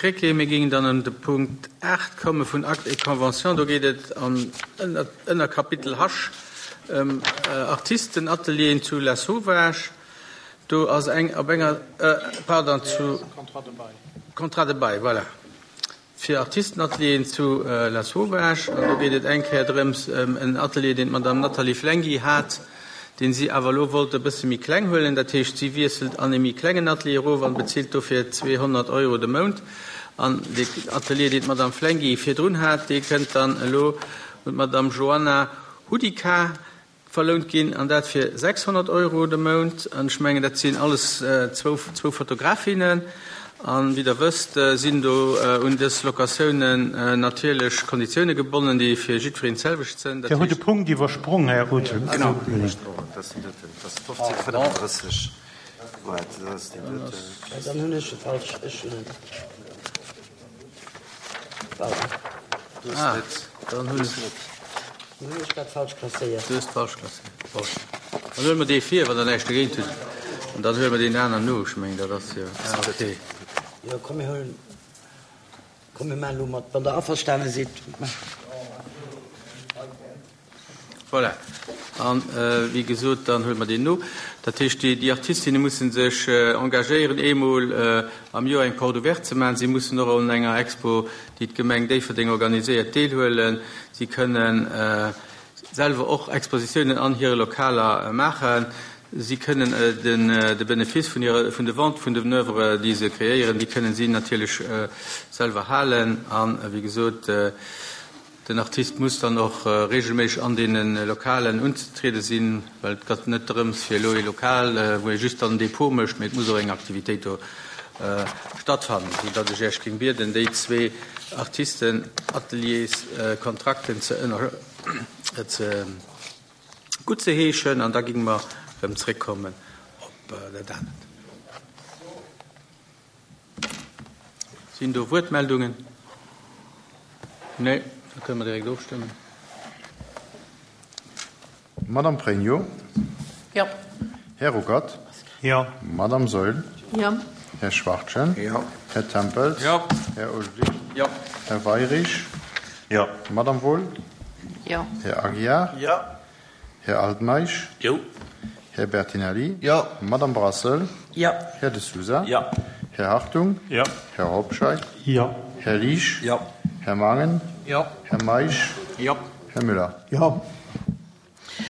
Krecké. Mir géingen dann un de Punkt 8 komme vun Actes et conventions. Do geet et am Ënnerkapitel H ëm Artistenatelieren zu Lasauvage. Do ass eng op enger, pardon, zu Contrat de bail, voilà. Fir Artistenatelieren zu Lasauvage. An do geet et eng Kéier drëms ëm en Atelier, deen d'Madame Nathalie Flenghi hat, deen si awer elo wollt e bësse méi kleng huelen. Dat heescht, si wiesselt an e méi klengen Atelier erof an bezilt dofir 200 Euro de Mount. An dee Atelier, deen d'Madame Flenghi virdrun hat, dee kënnt dann elo un d'Madame Joanna Hudika. Verlount ginn, an dat fir 600 Euro de Mount. An ech mengen, dat sinn alles zwou Fotografinnen. An wéi Der wësst, sinn do un dës Locatiounen natierlech Konditioune gebonnen, déi fir jiddwereen d'selwecht sënn. Dat Dir hutt e heescht. Punkt iwwersprong, Här Rutte. Genau. Dann hunn ech e falsch, ech hunn en. Ah, dann hunn ech. Dann hunn ech dat falsch klasséiert. Du hues falsch klasséiert. Bon. Dann huele mer dee vir, wann Der näischt dogéint hutt. An dann huele mer deen aneren no. Ech mengen, dat ass jo. Ah, okay. Jo, komm, mir huelen. Komm, mir maachen elo mat, wann Der averstane sidd. Voilà. An, wéi gesot, dann huele mer deen no. Dat heescht, déi Artistinne musse sech engagéieren, eemol am Joer eng Porte ouverte ze maachen. Si mussen och un enger Expo, déi d'Gemeng Déifferdeng organiséiert, deelhuelen. Si kënnen selwer och Expositiounen an hire Lokaler maachen. Si kënnen de Benefice vun hire, vun de Vente vun den Oeuvres, déi se kreéieren, déi kënnen si natierlech selwer halen. An, wéi gesot, Den Artist muss dann och regelméisseg an deene Lokalen unzetriede sinn, well et gëtt net drëms fir elo ee Lokal, wou ee just dann en Depot mécht, mee et muss och eng Aktivitéit do stattfannen, sou datt ech Iech géing bieden, déi zwee Artistenatelierskontrakten ze ënner ze guttzeheeschen an da géinge mer erëm zréckkommen op dat anert. Sinn do Wuertmeldungen? Nee, da kënne mer direkt ofstëmmen. Madame Pregno. Jo. Här Ruckert. Jo. Madame Saeul. Jo. Här Schwachtgen. Jo. Här Tempels. Jo. Här Ulrich. Jo. Här Weirich. Jo. Madame Wohl. Jo. Här Aguiar. Jo. Här Altmeisch. Jo. Här Bertinelli. Jo. Madame Brassel. Jo. Här De Sousa. Jo. Här Hartung. Jo. Här Hobscheit. Jo. Här Liesch. Jo. Här Mangen. Jo. Här Meisch. Jo. Här Müller. Jo.